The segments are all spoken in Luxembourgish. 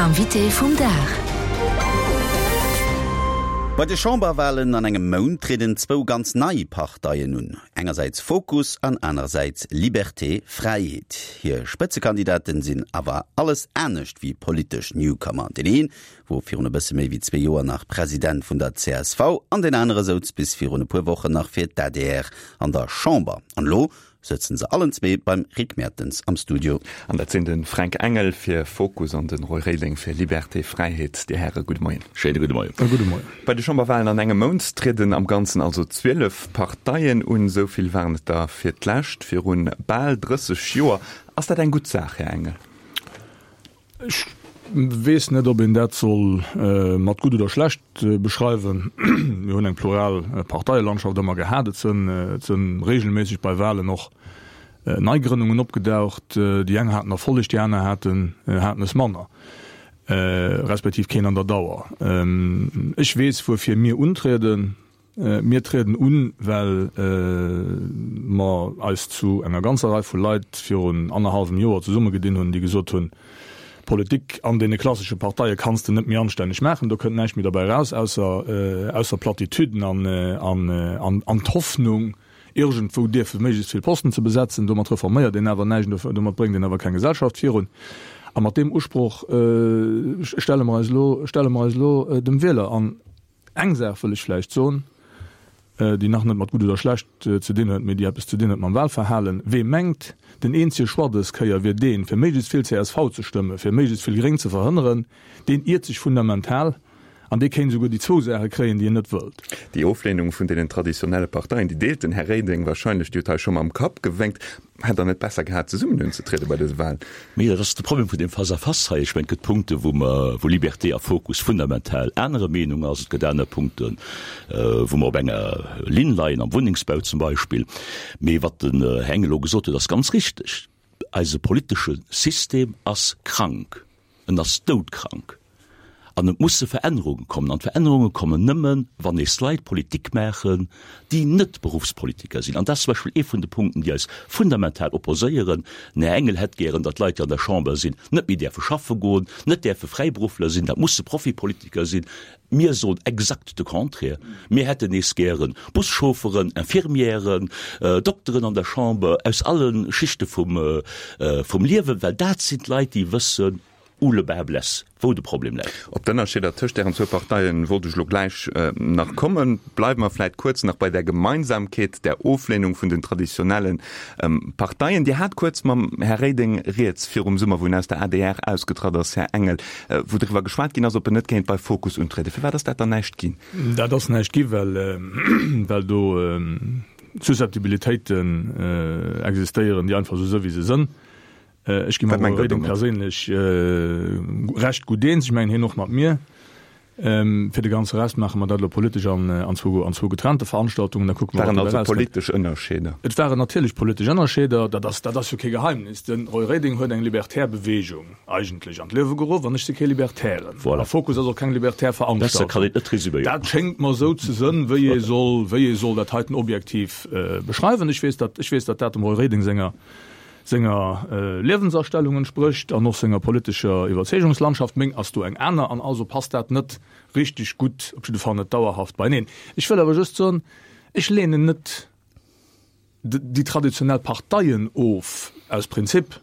Invité vum Dag. Bei de Chamberwalen an engem Mount trieden zwou ganz nei Parteien un, engersäits Fokus an anerersäits Liberté, Fräiheet. Hir Spëtzekandidaten sinn awer alles anescht wéi politesch Newcomer. Deen een wor virun e bësse méi wéi zwee Joer nach President vun der csv an deen anere souz bis virun e puer Wochen nach fir d'ADR an der Chamber. An elo sëtzen se allen zwee beim Rick Mertens am Studio. An dat sinn de Fränk Engel fir Fokus an de Roy Reding fir Liberté, Fräiheet. Dir Häre, gudde Moien. Schéine gudde Moien. E gudde Moien. Bei de Chamberwahlen an engem Mount trieden am Ganzen also 12 Parteien un. Esou vill waren et der fir d'lescht viru bal 30 Joer. Ass dat eng gutt Saach, Här Engel? Ech weess net, ob een dat soll mat gutt oder schlecht beschreiwen. Mir hunn eng plural Parteielandschaft ëmmer gehat. Et sënn et sënn regelméisseg bei Wahlen och Neigrënnungen opgedaucht. Déi eng haten Erfolleg, déi aner haten haten es manner, respektiv keen an der Dauer. Ech weess, wuerfir mir untrieden. Mir trieden un, well mer eis zu enger ganzer Rei vu Leit virun annerhallwem Joer zesummegedinn hunn, déi gesot hunn, Politik an deene klassesche Parteie kanns de net méi anstänneg maachen, do kënnt näischt méi derbäi eraus, ausser, ausser Platitüden an, an, an d'Hoffnung, iergendwou dierfe méiglechst vill Posten ze besetzen. Domat reforméiert een awer näischt, domat bréngt een awer keng Gesellschaft virun. A mat deem Usproch stelle mer eis elo, stelle mer eis elo dem Wieler. An Eng Saach wëll ech vläicht soen, déi nach net mat gutt oder schlecht ze dinn huet, mee déi eppes ze dinn huet mam Wahlverhalen, Wee mengt, den eenzege Choix dës Kéier wier deen, fir méiglechst vill csv ze stëmmen, fir méiglechst vill Gréng ze verhënneren, deen iert sech fundamental an dee kéint esouguer déi zwou Saache kréien, déi en net wëllt. Déi Oflehnung vun deenen traditionelle Parteien, déi deelt den Här Reding wahrscheinlech. Dir hutt hei scho mam Kapp gewénkt. Hätt Der net besser gehat, zesummen unzetriede bei dëse Wahlen? Mee dat ass de Problem vun deem Face-à-face hei. Ech mengen, et gëtt Punkte wou mer, wou Liberté a Fokus fundamental anerer Meenung ass. Et gëtt aner Punkten, wou mer op enger Linn leien, am Wunnengsbau zum Beispill. Mee wat den Här Engel elo gesot huet, ass ganz richteg. Eise politesche System ass krank. En ass doudkrank. An et musse Verännerunge kommen. An d'Verännerunge kommen nëmmen, wann nees Leit Politik maachen, déi net Beruffspolitiker sinn. An dat ass zum Beispill ee vun de Punkten, déi eis fundamental opposéieren. Den Här Engel hätt gären, datt Leit, déi an der Chamber sinn, net méi däerfe schaffe goen, net däerfe Fräiberuffler sinn. Dat musse Profipolitiker sinn. Mir soen exakt de Contraire. Mir hätten nees gären Buschaufferen, Infirmièren, Dokteren an der Chamber, aus alle Schichte vum Liewen, well dat sinn d'Leit, déi wëssen, Où le bas blesse, wou de Problem läit. Op d'Ënnerscheeder tëscht ären zwou Parteien wollt ech elo gläich nach kommen. Bleiwe mer vläit kuerz nach bei där Gemeinsamkeet, där Oflehnung vun den traditionelle Parteien. Dir hat kuerz mam Här Reding rieds virum Summer, wou en aus der adr ausgetratt ass, Här Engel, wou driwwer geschwat ginn ass, ob en net kéint bei Fokus untrieden. Firwat ass dat dann näischt ginn? Dat ass näischt gi well do Susceptibilitéiten existéieren, déi einfach esou së wéi se sënn. Ech gi mam Roy Reding perséinlech recht gutt eens, ech mengen hien och mat mir. Fir de ganze Rest maache mer dat elo politesch an zwou getrennte Veranstaltungen, da kucke mer, wat dobäi erauskënnt. Waren also politesch Ënnerscheeder? Et waren natierlech politesch Ënnerscheeder, dat ass, dat ass jo kee Geheimnis. De Roy Reding huet eng libertär Beweegung eigentlech an d'Liewe geruff an ech si kee Libertären. Voilà. A Fokus ass och keng libertär Besser kann Veranstaltung. een et net resüméieren. Dat schéngt mer esou ze sënn, wéi ee soll, wéi ee soll dat heiten objektiv beschreiwen. Ech weess, datt, ech weess, datt dat dem Roy Reding senger senger Liewensastellung entsprécht an och senger politescher Iwwerzeegungslandschaft. Meng ass do eng aner an also passt dat net richteg gutt, op jidde Fall net dauerhaft beieneen. Ech wëll awer just soen, ech lehnen net déi traditionell Parteien of aus Prinzip.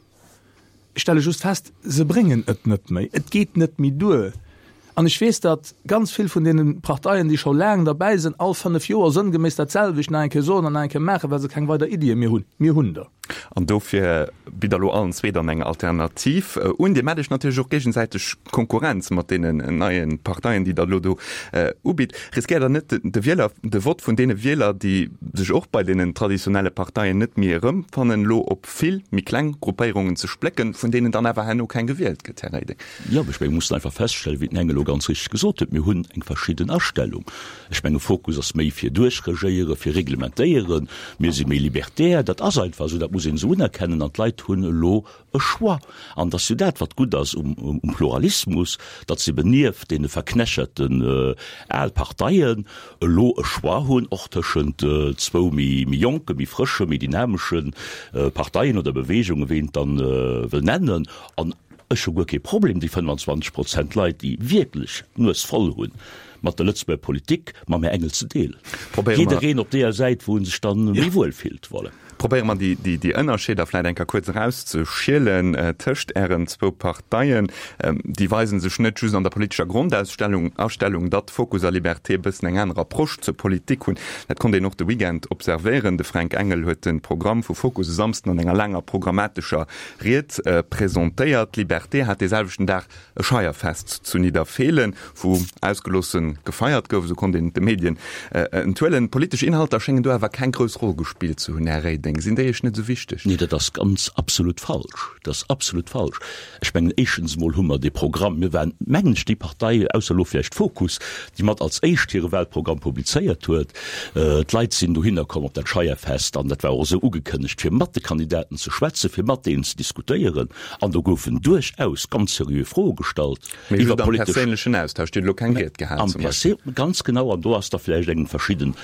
Ech stelle just fest, se bréngen et net méi, et geet net méi duer. An ech weess, datt ganz vill vun deene Parteien, déi scho laang derbäi sinn, all fënnef Joer sënngeméiss dat selwecht nach eng Kéier soen an nach eng Kéier maachen, well se keng weider Iddie méi hunn. Mir hunn der. An dofir bitt Der elo allen zwee dann eng Alternativ un. Dir maacht Iech natierlech och géigesäiteg Konkurrenz mat deenen neie Parteien, déi Der elo do ubitt. Riskéiert Der net, de Wieler, de Vott vun deene Wieler, déi sech och bei deenen traditionelle Parteien net méi erëmfannen, elo op vill méi kleng Gruppéierungen ze splécken, vun deenen dann awer herno keng gewielt gëtt, Här Reding? Jo, ech menge mir mussen einfach feststellen, wéi den Heng elo ganz richteg gesot huet, mir hunn eng verschidden Astellung. Ech menge Fokus ass méi fir duerchregéieren, fir reglementéieren. Mir si méi libertär. Dat ass einfach esou, dat muss een esou unerkennen. An d'Leit hunn elo e Choix. An et ass jo dat, wat gutt ass um Pluralismus, datt se eben nieft deene verknächerten al Parteien elo e Choix hunn, och tëschent zwou méi jonke, méi frësche, méi dynamesche Parteien oder Beweegungen, wéi een et dann wëll nennen. An. Ech hu guer kee Problem, déi 25 Prozent Leit, déi wierklech d'Nues voll hunn mat der Lëtzebuerger Politik, mam Här Engel ze deelen. Jiddereen op deeër Säit, wou en sech dann méi wuel fillt. Voilà. Probéiere mer déi Ënnerscheeder vläit eng Kéier kuerz erauszeschielen tëscht Ären zwou Parteien. Déi weise sech net just an der politescher Grondausstellung, Astellung, datt Fokus a Liberté e bëssen eng aner Approche zur Politik hunn. Dat konnt een och de Weekend observéieren. De Fränk Engel huet de Programm vu Fokus e Samsden an enger laanger programmatescher Ried presentéiert. D'Liberté hat dee selwechten Dag e Scheierfest zu Nidderfeelen, wou ausgeloosse gefeiert gouf, esou konnt een et de Medien enthuelen. Politesch Inhalter schéngen do awer keng grouss Roll gespillt ze hunn, Här Reding. Sinn déi Iech net esou wichteg? Nee, dat ass ganz absolut falsch. Dat ass absolut falsch. Ech mengen, éischtens emol hu mer dee Programm, mir waren, mengen ech, déi Partei, ausser elo vläicht Fokus, déi mat als éischt hire Wahlprogramm publizéiert huet. D'Leit sinn dohinner komm op dat Scheierfest, an dat war och esou ugekënnegt, fir mat de Kandidaten ze schwätzen, fir mat deenen ze diskutéieren. An do goufen duerchaus ganz seriö Froe gestallt Mee iwwer just am politesch. perséinlechen Austausch. Dir hutt elo keng Ried gehal Am zum Beispill. Perse-, ganz genau. An do ass da vläicht eng verschidden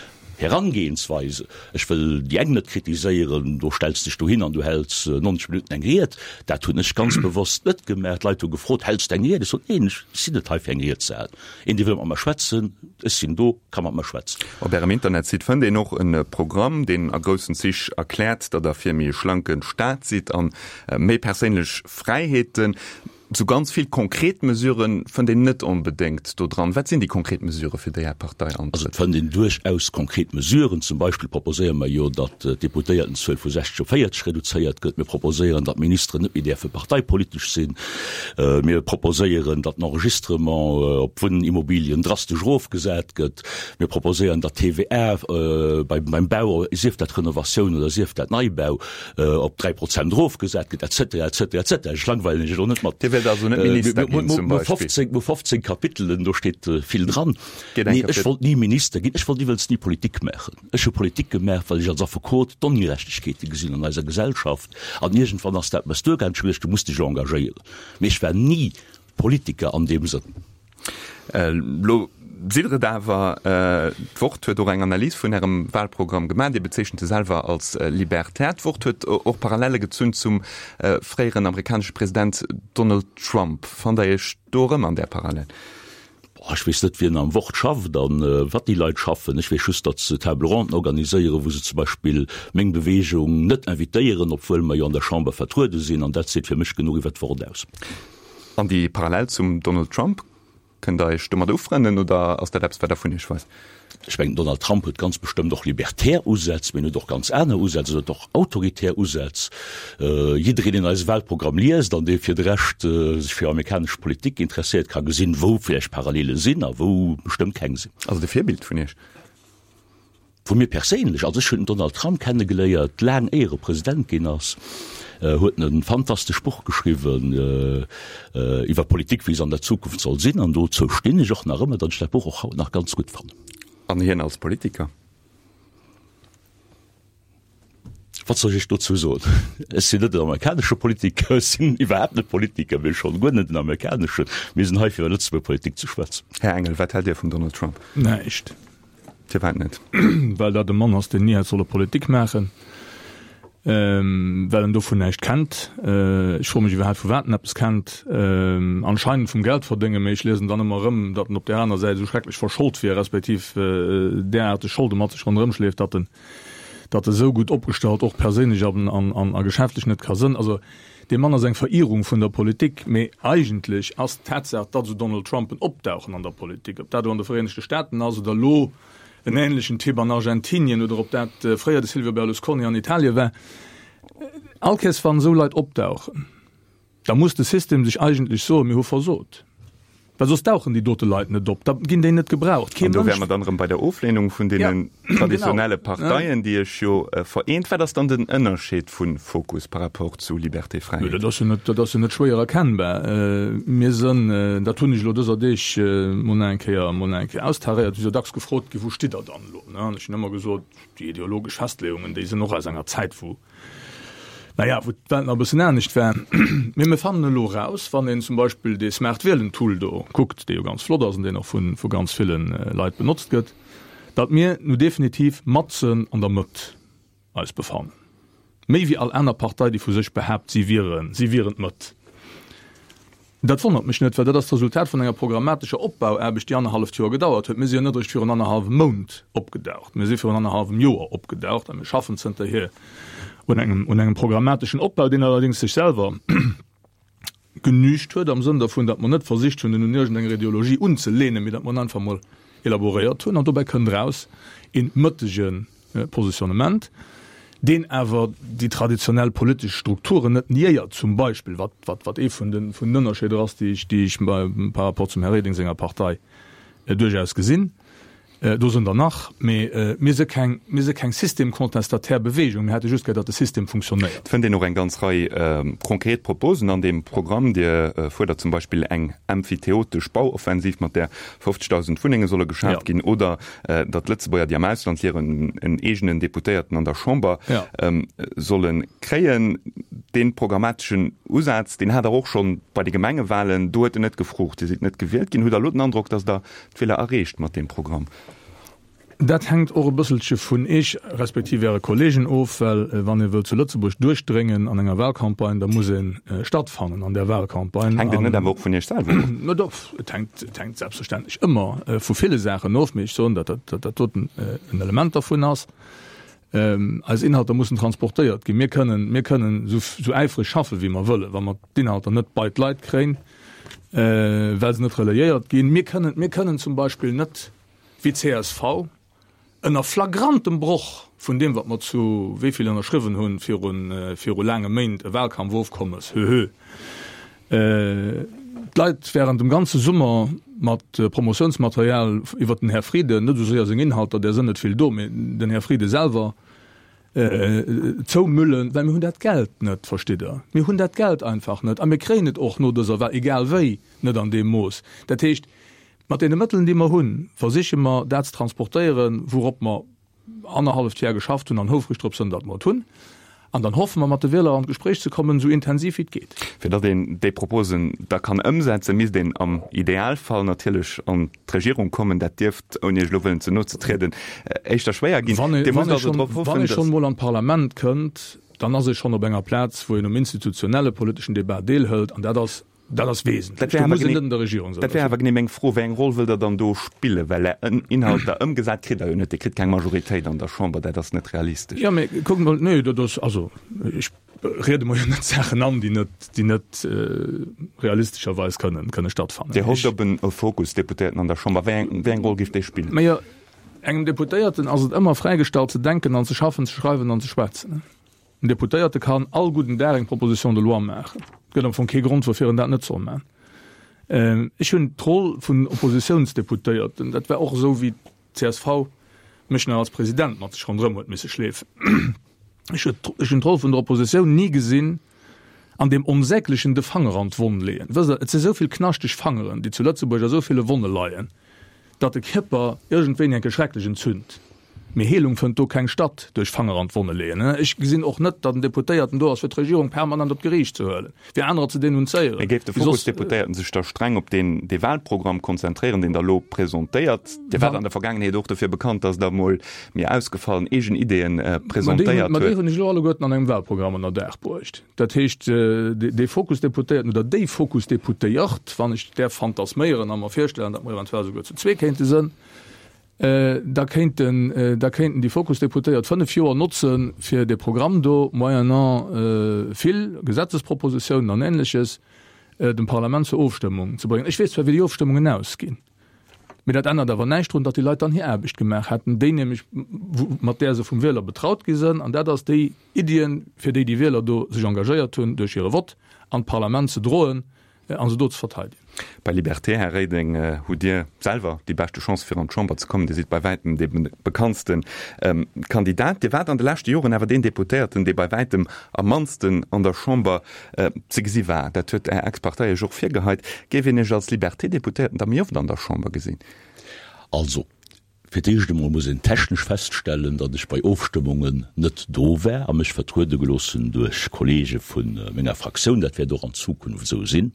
Herangehensweise. Ech wëll déi eng net kritiséieren, do stells dech dohin an du häls 90 Minutten eng Ried. Dat hunn ech ganz bewosst net gemaach. D'Leit hu gefrot, Häls de eng Ried? Ech sot, Neen, ech sinn net hei fir eng Ried ze halen. Een, dee wëll mat mer schwätzen, ech sinn do, ka mat mer schwätzen. Op Ärem Internetsite fënnt een och e Programm, deen a groussen Zich erkläert, datt Der fir méi e schlanke Staat sidd an méi perséinlech Fräiheeten. Sou ganz vill konkret Mesurë fënnt een net onbedéngt do dran. Wat sinn déi konkret Mesurë, fir déi Är Partei antrëtt? Also et fënnt een duerchaus konkret Mesuren. Zum Beispill proposéiere mer jo, datt d'Deputéiertenzuel vu 60 op 40 reduzéiert gëtt. Mir proposéieren, datt d'Ministeren net méi däerfe parteipolitesch sinn. Mir proposéieren, datt den Enregistrement op Wunnimmobilien drastesch erofgesat gëtt. Mir proposéieren, datt d'TVA beim Bau, sief dat Renovatioun oder sief dat Neibau, op 3 Prozent erofgesat gëtt, et cetera, et cetera, et cetera. Ech langweilen Iech elo net mat. Dir wéilt also net Minister ginn, zum Beispill? Mir hu 15 Kapitelen, do steet vill dran. Nee, ech wollt ni Minister ginn. Ech wollt iwwels ni Politik maachen. Ech hu Politik gemaach, well ech als Affekot d'Ongerechtegkeete gesinn an eiser Gesellschaft. An iergendwann ass dat mer duergaangen. Ech hu geduecht, du muss dech engagéieren. Mee ech war ni Politiker an deem Sënn. Elo sidd Der et awer. D'Wort huet och eng Analys vun Ärem Wahlprogramm gemaach. Dir bezeechent se selwer als libertär. D'Wort huet och Parallele gezunn zum fréieren amerikanesche President Donald Trump. Fannt Der Iech do erëm an där Parallel? Ech weess net, wien am Wort schafft a wat déi Leit schaffen. Ech weess just, datt se Table ronden organiséieren, wou se zum Beispill meng Beweegung net invitéieren, obwuel mer jo an der Chamber vertruede sinn. An dat seet fir mech genuch iwwer d'Wort aus. An déi Parallel zum Donald Trump, kënnt Der Iech domat ufrënnen oder ass dat eppes, wat Der vun Iech weist? Ech mengen, den Donald Trump huet ganz bestëmmt och libertär Usätz, mee en huet och ganz aner Usätz, en huet och autoritär Usätz. Jiddereen, deen eise Wahlprogramm liest an dee fir de Rescht sech fir amerikanesch Politik interesséiert, ka gesinn, wou vläicht Parallele sinn a wou bestëmmt keng sinn. Ass et e Virbild vun Iech? Vu mir perséinlech, also ech hunn den Donald Trump kennegeléiert, laang éier e President ginn ass, huet en e fantastesch Buch geschriwwen iwwer Politik, wéi se an der Zukunft soll sinn, an dozou stinn ech och nach ëmmer, datt ech dat Buch och haut nach ganz gutt fannen. An hien als Politiker? Wat soll ech dozou soen? Ech sinn net en amerikanesche Politiker, ech sinn iwwerhaapt net Politiker, mee schonn guer net en amerikaneschen. Mir sinn hei fir iwwer Lëtzebuerger Politik ze schwätzen. Här Engel, wat hält Dir vum Donald Trump? Näischt. Firwat net? Well dat e Mann ass, deen ni hätt solle Politik maachen, well en dovun näischt kennt. Ech froe mech iwwerhaapt, vu wat en eppes kennt. Anscheinend vum Geldverdéngen, mee ech liesen dann ëmmer erëm, datt en op där aner Säit esou schrecklech verschold wier, respektiv däraarteg Scholde mat sech ronderëm schleeft, datt en datt e sou gutt opgestallt och perséinlech an a geschäftlech net ka sënn. Also dee Mann ass eng Verirrung vun der Politik, mee eigentlech ass d'Tatsaach, datt esou Donald Trumpen opdauchen an der Politik, ob dat elo an de Vereenegte Staaten ass oder elo en ähnlechen Typ an Argentinien oder ob dat fréier de Silvio Berlusconi an Italien war, all Kéiers wann esou Leit opdauchen, Da muss de System sech eigentlech soen, mir hu versot, well soss dauchen déi dote Leit net op, da ginn déi net gebraucht. Kee An do wäre mer dann erëm bei der Oflehnung vun deenen traditionelle Parteien, déi Iech jo vereent. Wat ass dann den Ënnerscheed vu Fokus par rapport zu Liberté Fräiheet? Dat ass jo net, dat ass jo net schwéier erkennbar. Mir sënn, dat hunn ech elo dëser Deeg mol nach eng Kéier, mol nach eng Kéier austaréiert, si jo dacks gefrot ginn, wou stitt Der dann elo? An ech hunn ëmmer gesot, déi ideologesch Festleeungen, déi sënn och aus enger Zäit, wou, naja, wou d'Welt nach e bëssen anescht war. Mee mir fannen elo eraus, wann een zum Beispill dee Smart Wielen Tool do kuckt, dee jo ganz flott ass an deen och vu vu ganz ville Leit benotzt gëtt, datt mir nu definitiv matzen an der Mëtt eis befannen. Méi wéi all aner Partei, déi vu sech behaapt, si wieren, si wieren d'Mëtt. Dat wonnert mech net, well dat ass d'Resultat vun enger programmatescher Opbauaarbecht, déi annerhalleft Joer gedauert huet. Mir si jo net eréischt virun annerhallwem Mount opgedaucht, mir si virun annerhallwem Joer opgedaucht a mir schaffen zënterhier un engem, un engem programmateschen Opbau, deen allerdéngs sech selwer genügt huet am Sënn dervun, datt mer net versicht hunn, en un iergendenger Ideologie unzelehnen, mee datt mer en einfach emol elaboréiert hunn. An dobäi kënnt eraus ee mëttege Positionnement, deen awer déi traditionell politesch Strukturen net niéiert, zum Beispill, wat, wat, wat ee vun den, vun den Ënnerscheeder ass, déi ech, déi ech par rapport zum Här Reding senger Partei duerchaus gesinn. Do sënn der nach, mee mir si keng, mir si keng systemcontestatär Bewegung, mir hätte just gär, datt de System funktionéiert. Et fënnt een och eng ganz Rei konkret Proposen an deem Programm. Dir fuerdert zum Beispill eng emphyteotesch Bauoffensiv, mat där 50.000 Wunnenge solle geschaaft ginn, oder datt Lëtzebuerger, déi am Ausland liewen, en eegenen Deputéierten an der Chamber solle kréien. Dee programmateschen Usaz, deen hat Der och scho bei de Gemengewahlen. Do huet en net gefruucht. Dir sidd net gewielt ginn. Hutt Der elo den Androck, datt Der d'Wieler erreecht mat deem Programm? Dat hänkt och e bësselche vun Iech respektiv Äre Kollegen of, well wann ee wëllt zu Lëtzebuerg duerchdréngen an enger Wahlcampagne, da muss ee stattfannen an där Wahlcampagne. Hänkt et net awer och vun Iech selwer of? No doch, et hänkt, et hänkt selbstverständlech ëmmer vu ville Saachen of, mee ech soen, datt dat, dat doten en Element dervun ass. Eis Inhalter mussen transportéiert ginn. Mir kënnen, mir kënnen esou, esou äifreg schaffen, wéi mer wëllen, wa mer d'Inhalter net bei d'Leit kréien, well se net relayéiert ginn. Mir kënnen, mir kënnen zum Beispill net wéi csv, ënner flagrantem Broch vun deem, wat mer zu wéi vill ënnerschriwwen hunn viru laange Méint, e Wahlkampfofkommes, höhö, d'Leit während dem ganze Summer mat Promotiounsmaterial iwwert den Här Frieden, net esou séier seng Inhalter, där sënn net vill do, mee den Här Frieden selwer, zoumüllen, well mir hunn dat Geld net, verstitt Der? Mir hunn dat Geld einfach net a mir kréien et och no dëser Wahl, egal wéi, net an deem Mooss. Dat heescht, Mat deene Mëttelen, déi mer hunn, versiche mer, dat ze transportéieren, wourop mer annerhalleft Jar geschafft hunn an houfreg drop sënn, datt mer et hunn. An dann hoffe mer, mat de Wieler an d'Gespréich ze kommen, esou intensiv wéi et geet. Fir datt een déi Proposen da kann ëmsetzen, misst een am Idealfall natierlech an d'Regierung kommen. Dat dierft, ouni Iech elo wëllen ze no ze trieden, éischter schwéier ginn. Wann ee schonn emol an d'Parlament kënnt, dann ass ee schonn op enger Plaz, wou een um institutionelle politeschen Debat deelhëlt. An dat ass Dat ass wesentlech. Dat wär awer genee, dat wär awer genee meng Fro, Wéi eng Roll wëllt Der dann do spillen? Well Är Inhalter ëmgesat kritt Der jo net. Dir kritt keng Majoritéit an der Chamber, dat ass net realistesch. Jo, mee kuckt mol, nee, dat ass, also ech riede mer jo net Saachen an, déi net, déi net realistescherweis kënnen, kënne stattfannen. Dir hofft op en Fokus-Deputéierten an der Chamber. Wéi eng, wéi eng Roll géif dee spillen? Majo, engem Deputéierten ass et ëmmer fräigestallt ze denken an ze schaffen, ze schreiwen an ze schwätzen. En Deputéierte kann all gudden Dag eng Proposition de loi maachen. Et gëtt am Fong kee Grond, woufir en dat net soll maachen. Ech hunn d'Roll vun Oppositiounsdeputéierten, dat war och esou, wéi d'CSV mech nach als President mat sech ronderëm huet misse schleefen, ech hunn d'Roll vun der Oppositioun ni gesinn an deem onsäglechen de Fanger an d'Wonn leeën. Wësst Der, et si esou vill knaschteg Fangeren, déi zu Lëtzebuerg a esou ville Wonne leien, datt de Kierper iergendwéini eng Kéier schrecklech entzünt. Mee Heelung fënnt do keng statt duerch Fanger an d'Wonne leeën. Ech gesinn och net, datt en Deputéierten do ass, fir d'Regierung permanent op d'Geriicht ze huelen, fir anerer ze denunzéieren. Mee géif de Fokus-Deputéierten sech da streng op deen dee Wahlprogramm konzentréieren, deen Der elo presentéiert? Dir waart an der Vergaangenheet och dofir bekannt, datt Der emol méi ausgefallen eegen Ideeën presentéiert huet. Ma déi hunn ech elo alleguerten an engem Wahlprogramm ënner Daach bruecht. Dat heescht, dee Fokus-Deputéierten oder déi Fokus-Deputéiert, wann ech däerf fantasméieren a mer virstellen, datt mer eventuell souguer zu zwee kéinte sënn, da kéinten, da kéinten déi Fokus-Deputéiert 5 Joer notzen, fir dee Programm do, moyennant vill Gesetzespropositiounen an Ähnleches, dem Parlament zur Ofstëmmung ze bréngen. Ech weess zwar, wéi déi Ofstëmmungen ausginn, mee dat ännert awer näischt drun, datt déi Leit dann hir Aarbecht gemaach hätten, déi nämlech, mat där se vum Wieler betraut gi sënn, an dat ass déi Iddien, fir déi déi Wieler do sech engagéiert hunn, duerch hire Vott an d'Parlament ze droen, a se do ze verteidegen. Bei Liberté, Här Reding, hutt Dir selwer déi beschte Chance fir an d'Chamber ze kommen. Dir sidd bei wäitem dee bekanntste Kandidat. Dir waart an de leschte Joren awer deen Deputéierten, dee bei wäitem am mannsten an der Chamber ze gesi war. Dat huet Är Ex-Partei Iech och virgeheit. Géif een Iech als Liberté-Deputéierten da méi oft an der Chamber gesinn? Also, Fir d'éischt emol muss een technesch feststellen, datt ech bei Ofstëmmungen net do war a mech vertruede gelooss hunn duerch Kollege vu menger Fraktioun. Dat wäert och an Zukunft esou sinn,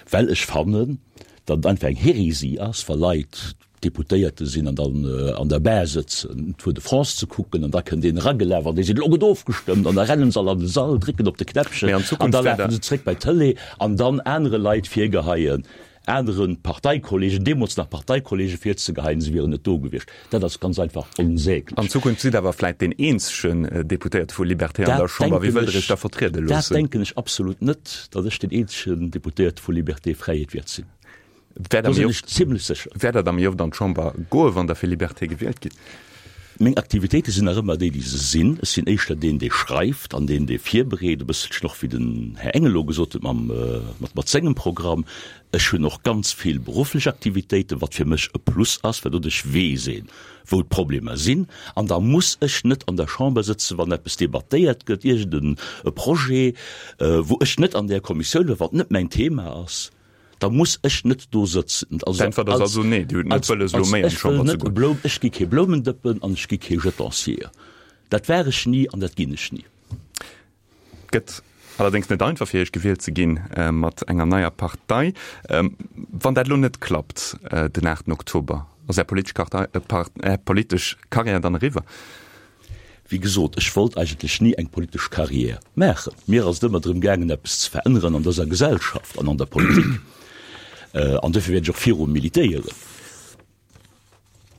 well ech fannen, datt et einfach eng Hérésie ass, wa Leit. Deputéierte sinn an dann an der Bar sëtzen, Tour de France ze kucken, an da kënnt een eragelaf an dee seet, Elo gëtt ofgestëmmt! An da rennen se all an de Sall, drécken op de Knäppchen an da lafe se zréck bei d'Tëlee an dann anere Leit virgeheien, anere Parteikollegen, deemools nach Parteikollegen, virzegeheien, se wieren net do gewiescht. Dat ass ganz einfach onsäglech. An Zukunft sidd awer vläit deen eenzegen Deputéierte vu Liberté an der Chamber. Wéi wëllt Der Iech da vertriede loossen? Dat denken ech absolut net, datt ech deen eenzegen Deputéierte vu Liberté Fräiheet wäert sinn. Do sinn ech zimlech sécher. Wäert Der da méi oft an d'Chamber goen, wann Der fir Liberté gewielt gitt? Meng Aktivitéite sinn nach ëmmer déi, déi se sinn. Ech sinn éischter deen, dee schreift an deen, dee virbereet, e bësselchen och wéi den Här Engel elo gesot huet mam, mat, mat sengem Programm. Ech hunn och ganz vill berufflech Aktivitéiten, wat fir mech e Plus ass, well doduerch weess een, wou d'Problemer sinn. An da muss ech net an der Chamber sëtzen, wann eppes debattéiert gëtt, iergend e Projet, wou ech net an där Kommissioun war, wat net mäin Thema ass. Da muss ech net do sëtzen. Also, D'Äntwert ass also nee, Dir hutt net wëlles elo méi an d'Chamber ze goen. Ech gi kee Bloumendëppen an ech gi kee Jetancier. Dat war ech ni an dat ginn ech ni. Et gëtt allerdéngs net einfach fir Iech gewielt ze ginn mat enger neier Partei. Wann dat elo net klappt den 8 Oktober, ass Är politesch Karriär dann eriwwer? Wéi gesot, ech wollt eigentlech ni eng politesch Carrière maachen. Mir ass et ëmmer drëm gaangen, eppes ze veränneren an dëser Gesellschaft an an der Politik. An dofir wäert ech och viru militéieren,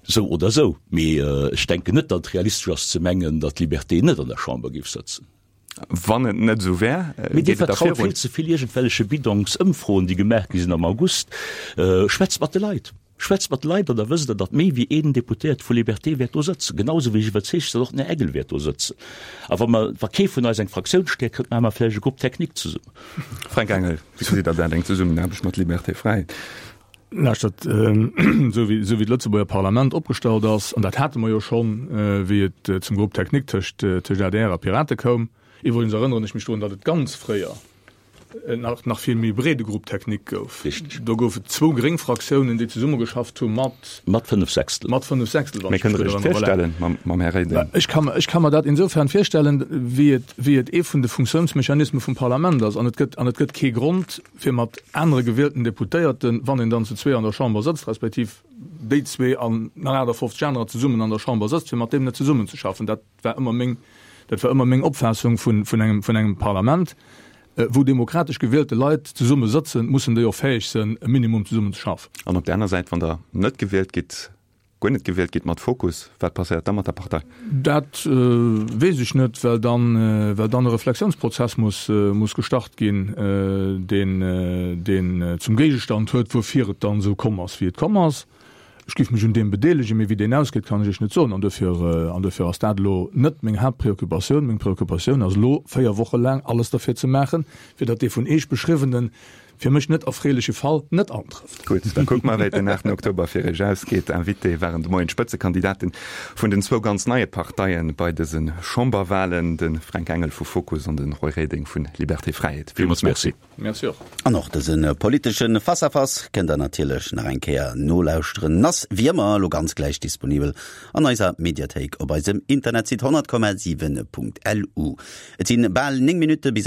sou oder sou. Mee ech denken net, datt et realistesch ass ze mengen, datt d'Liberté net an der Chamber géif sëtzen. Wann et net esou wär, Mee Dir geet et da vertraut virun? vill ze vill iergendwelleche Bidongsëmfroen, déi gemaach gi sinn am August. Schwätzt mat de Leit! Schwätzt mat de Leit an da wësst Der, datt méi wéi een Deputéierte vu Liberté wäert do sëtzen, genau esou wéi ech iwwerzeegt sinn, datt och den Här Engel wäert do sëtzen. A wa mer, wa kee vun eis eng Fraktiounsstäerkt kritt, maache mer vläicht e Groupe technique zesummen. Fränk Engel, Wéi gesitt Der dat, eng Zesummenaarbecht mat Liberté Fräiheet? Lauschtert, esou wéi, esou wéi d'Lëtzebuerger Parlament opgestallt ass, an dat hate mer jo schonn, wéi et zum Groupe technique tëscht, tëscht adr a Pirate koum, iwwregens erënneren ech mech drun, datt et ganz fréier, nach nach vill méi breede Groupe technique gouf. Richtig. Do gouf et zwou gréng Fraktiounen, déi zesummegeschafft hu mat. Mat 5 Sechstel. Mat 5 Sechstel, wann ech mech gutt erënnere. Mee kënnt Der Iech virstellen mam Här Reding? Ech ka mer, ech ka mer dat insofern virstellen, wéi et, wéi et ee vun de Funktiounsmechanisme vum Parlament ass. An et gëtt, an et gëtt kee Grond, fir mat anere gewielten Deputéierten, wann een dann zu zwee an der Chamber sëtzt, respektiv déi zwee an nach 58 anerer zesummen an der Chamber sëtzt, fir mat deem net zesummenzeschaffen. Dat war ëmmer meng, dat war ëmmer meng Opfaassung vun, vun engem, vun engem Parlament, wou demokratesch gewielte Leit zesumme sëtzen, mussen déi och fäeg sënn, e Minimum zesummen ze schaffen. An op där aner Säit, wann Der net gewielt gitt, guer net gewielt gitt mat Fokus, wat passéiert da mat der Partei? Dat weess ech net, well dann, well dann e Reflexiounsprozess muss, muss gestart ginn, deen, deen zum Géigestand huet, wuerfir et dann esou komm ass, wéi et komm ass. Ech géif mech un deem bedeelegen, mee wéi deen ausgeet, kann ech Iech net soen. An duerfir, an duerfir ass dat elo net meng Haaptpreoccupatioun. Meng Preoccupatioun ass elo, 4 Woche laang alles derfir ze maachen, fir datt dee vun Iech beschriwwenen, fir mech net erfreeleche Fall net antrëfft. Gutt, da kucke mer, wéi et den 8 Oktober fir Iech ausgeet. Invité waren de Moien d'Spëtzekandidaten vun den zwou ganz neie Parteie bei dëse Chamberwahlen, de Fränk Engel vu Fokus an de Roy Reding vu Liberté Fräiheet. Villmools Merci. Merci och. An och dëse politesche Face-à-Face kënnt der natierlech nach eng Kéier nolauschteren. Ass wéi ëmmer elo ganz gläich disponibel an eiser Mediathéik op eisem Internetsite 100,7.lu. Et sinn bal 9 Minutte bis.